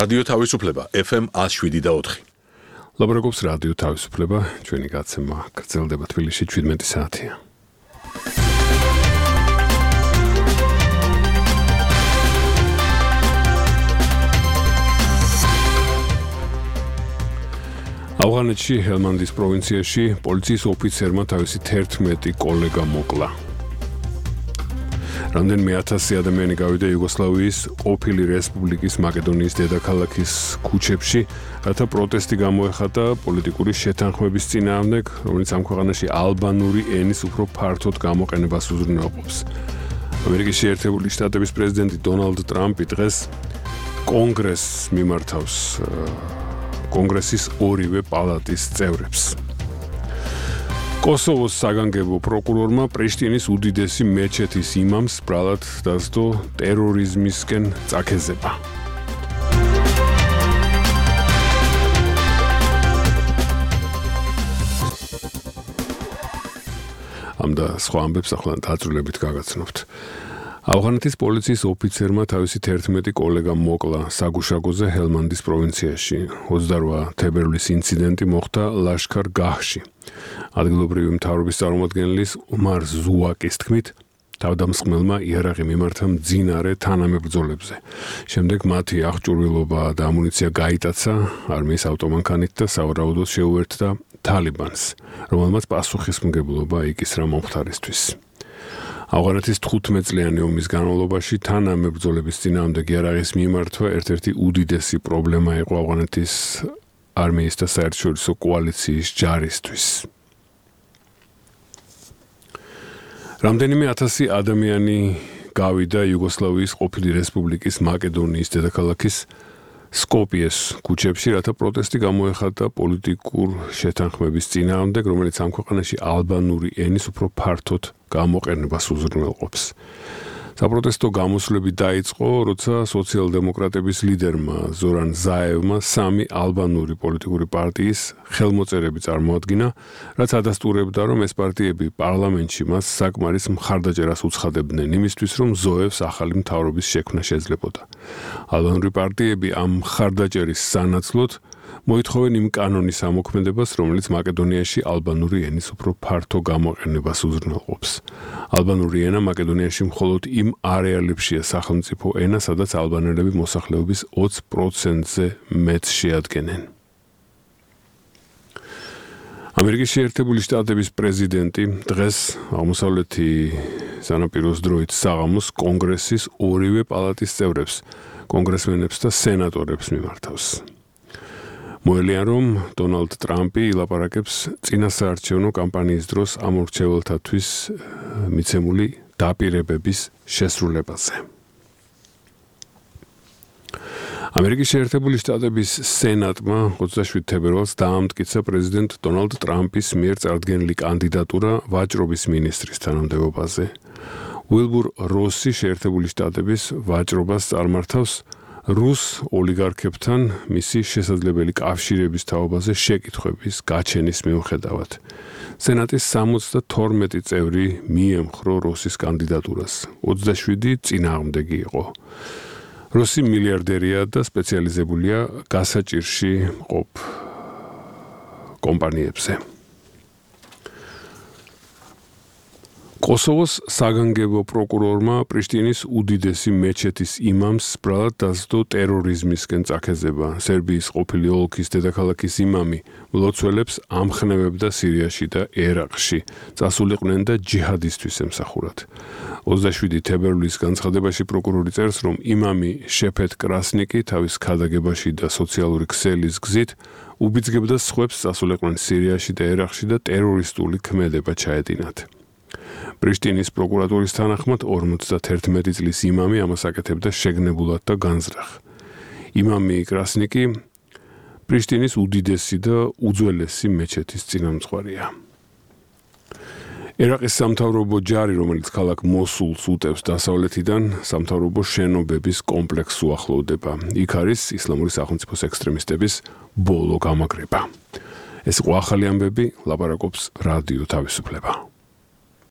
რადიო თავისუფლება FM 107.4. ლაპარაკობს რადიო თავისუფლება, ჩვენი გაცემა გრძელდება თბილისში 17 საათია. ავღანეთში ჰელმანდის პროვინციაში პოლიციის ოფიცერმა თავისი 11 კოლეგა მოკლა. რამდენიმე 1000 ადამიანი გავიდა იუგოსლავიის ყოფილი რესპუბლიკის მაკედონიის დედაქალაქის ქუჩებში, რათა პროტესტი გამოეხატა პოლიტიკური შეთანხმების წინააღმდეგ, რომელიც ამ ქვეყანაში ალბანური ენის უფრო ფართოდ გამოყენებას უზრუნველყოფს. ამერიკის შეერთებული შტატების პრეზიდენტი დონალდ ტრამპი დღეს კონგრესს მიმართავს კონგრესის ორივე პალატის წევრებს. კოსოვოს საგანგებო პროკურორმა პრიშტინის უდიდესი მეჩეთის იმამს ბრალად დასდო ტერორიზმისკენ წაქეზება. ამ და სხვა ამბებს ახლა დაწვრილებით გაგაცნობთ. ავღანეთის პოლიციის ოფიცერმა თავისი 11 კოლეგა მოკლა საგუშაგოზე ჰელმანდის პროვინციაში. 28 თებერვლის ინციდენტი მოხდა ლაშქარ-გაჰში. ადგილობრივი მთავრობის წარმომადგენლის უმარ ზუაკის თქმით, თავდამსხმელმა იარაღი მიმართა მძინარე თანამებრძოლებზე. შემდეგ მათი აღჭურვილობა და ამუნიცია გაიტაცა არმიის ავტომანქანით და სავარაუდოდ შეუერთდა თალიბანს, რომელმაც პასუხისმგებლობა იკისრა მომხდარისთვის. ავღანეთის 15 წლიანი ომის განმავლობაში თანამებრძოლების წინააღმდეგ იარაღის მიმართვა ერთ-ერთი უდიდესი პრობლემა იყო ავღანეთის არმიის და საერთაშორისო კოალიციის ჯარისთვის. რამდენიმე 1000 ადამიანი გავიდა იუგოსლავიის ყოფილი რესპუბლიკის მაკედონიის დედაქალაქის სკოპიეს ქუჩებში, რათა პროტესტი გამოეხატა პოლიტიკურ შეთანხმების წინააღმდეგ, რომელიც ამ ქვეყანაში ალბანური ენის უფრო ფართოდ გამოყენებას უზრუნველყოფს. საპროტესტო გამოსვლები დაიწყო, როცა სოციალ-დემოკრატების ლიდერმა ზორან ზაევმა 3 ალბანური პოლიტიკური პარტიის ხელმოწერები წარმოადგინა, რაც ადასტურებდა, რომ ეს პარტიები პარლამენტში მას საკმარის მხარდაჭერას უცხადებდნენ იმისთვის, რომ ზოევს ახალი მთავრობის შექმნა შეძლებოდა. ალბანური პარტიები ამ მხარდაჭერის სანაცვლოდ მოითხოვენ იმ კანონის ამოქმედებას, რომელიც მაკედონიაში ალბანური ენის უფრო ფართო გამოყენებას უზრუნველყოფს. ალბანური ენა მაკედონიაში მხოლოდ იმ არეალებშია სახელმწიფო ენა, სადაც ალბანელები მოსახლეობის 20%-ზე მეტს შეადგენენ. ამერიკის შეერთებული შტატების პრეზიდენტი დღეს აღმოსავლეთი სანაპიროს დროით საღამოს კონგრესის ორივე პალატის წევრებს, კონგრესმენებს და სენატორებს მიმართავს. მოელიან, რომ დონალდ ტრამპი ილაპარაკებს წინასაარჩევნო კამპანიის დროს ამ მრჩეველთათვის მიცემული დაპირებების შესრულებაზე. ამერიკის შეერთებული შტატების სენატმა 27 თებერვალს დაამტკიცა პრეზიდენტ დონალდ ტრამპის მიერ წარდგენილი კანდიდატურა ვაჭრობის მინისტრის თანამდებობაზე. უილბურ როსი შეერთებული შტატების ვაჭრობას წარმართავს რუს ოლიგარქებთან მისი შესაძლებელი კავშირების თაობაზე შეკითხვების გაჩენის მიუხედავად. სენატის 72 წევრი მიემხრო როსის კანდიდატურას, 27 წინააღმდეგი იყო. როსი მილიარდერია და სპეციალიზებულია გასაჭირში მყოფ კომპანიებზე. კოსოვოს საგანგებო პროკურორმა პრიშტინის უდიდესი მეჩეთის იმამს ბრალად დასდო ტერორიზმისკენ წაქეზება. სერბიის ყოფილი ოლქის დედაქალაქის იმამი მლოცველებს ამხნევებდა სირიაში და ერაყში, წასულიყვნენ და ჯიჰადისთვის ემსახურათ. 27 თებერვლის განცხადებაში პროკურორი წერს, რომ იმამი შეფეთ კრასნიკი თავის ქადაგებაში და სოციალური ქსელის გზით უბიძგებდა სხვებს წასულიყვნენ სირიაში და ერაყში და ტერორისტული ქმედება ჩაედინათ. პრიშტინის პროკურატურის თანახმად 51 წლის იმამი ამას აკეთებდა შეგნებულად და განზრახ. იმამი კრასნიკი პრიშტინის უდიდესი და უძველესი მეჩეთის წინამძღვარია. ერაყის სამთავრობო ჯარი, რომელიც ქალაქ მოსულს უტევს დასავლეთიდან, სამთავრობო შენობების კომპლექსს უახლოვდება. იქ არის ისლამური სახელმწიფოს ექსტრემისტების ბოლო გამაგრება. ეს იყო ახალი ამბები, ლაპარაკობს რადიო თავისუფლება.